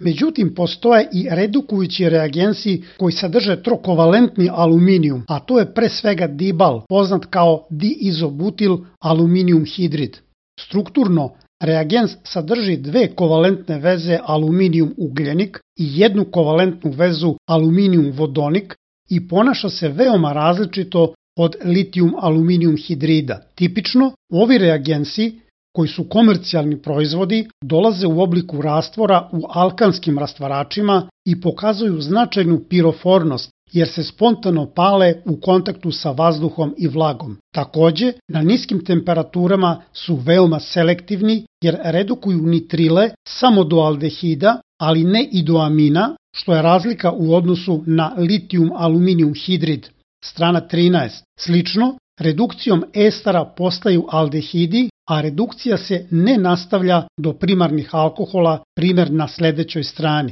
Međutim, postoje i redukujući reagensi koji sadrže trokovalentni aluminijum, a to je pre svega dibal, poznat kao diizobutil aluminijum hidrid. Strukturno, reagens sadrži dve kovalentne veze aluminijum ugljenik i jednu kovalentnu vezu aluminijum vodonik i ponaša se veoma različito od litijum aluminijum hidrida. Tipično, ovi reagensi, koji su komercijalni proizvodi, dolaze u obliku rastvora u alkanskim rastvaračima i pokazuju značajnu pirofornost, jer se spontano pale u kontaktu sa vazduhom i vlagom. Takođe, na niskim temperaturama su veoma selektivni jer redukuju nitrile samo do aldehida, ali ne i do amina, što je razlika u odnosu na litijum aluminijum hidrid. Strana 13. Slično, redukcijom estera postaju aldehidi, a redukcija se ne nastavlja do primarnih alkohola, primer na sledećoj strani.